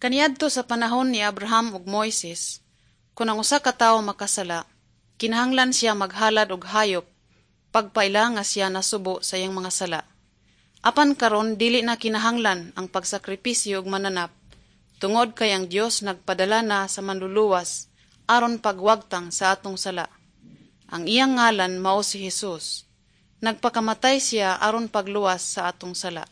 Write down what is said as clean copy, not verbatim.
Kaniadto sa panahon ni Abraham ug Moises, kun ang usa ka tawo makasala, kinahanglan siya maghalad og hayop pagpaila nga siya nasubo sa iyang mga sala. Apan karon dili na kinahanglan ang pagsakripisyo og mananap tungod kay ang Dios nagpadala na sa Manluluwas aron pagwagtang sa atong sala. Ang iyang ngalan mao si Jesus. Nagpakamatay siya aron pagluwas sa atong sala.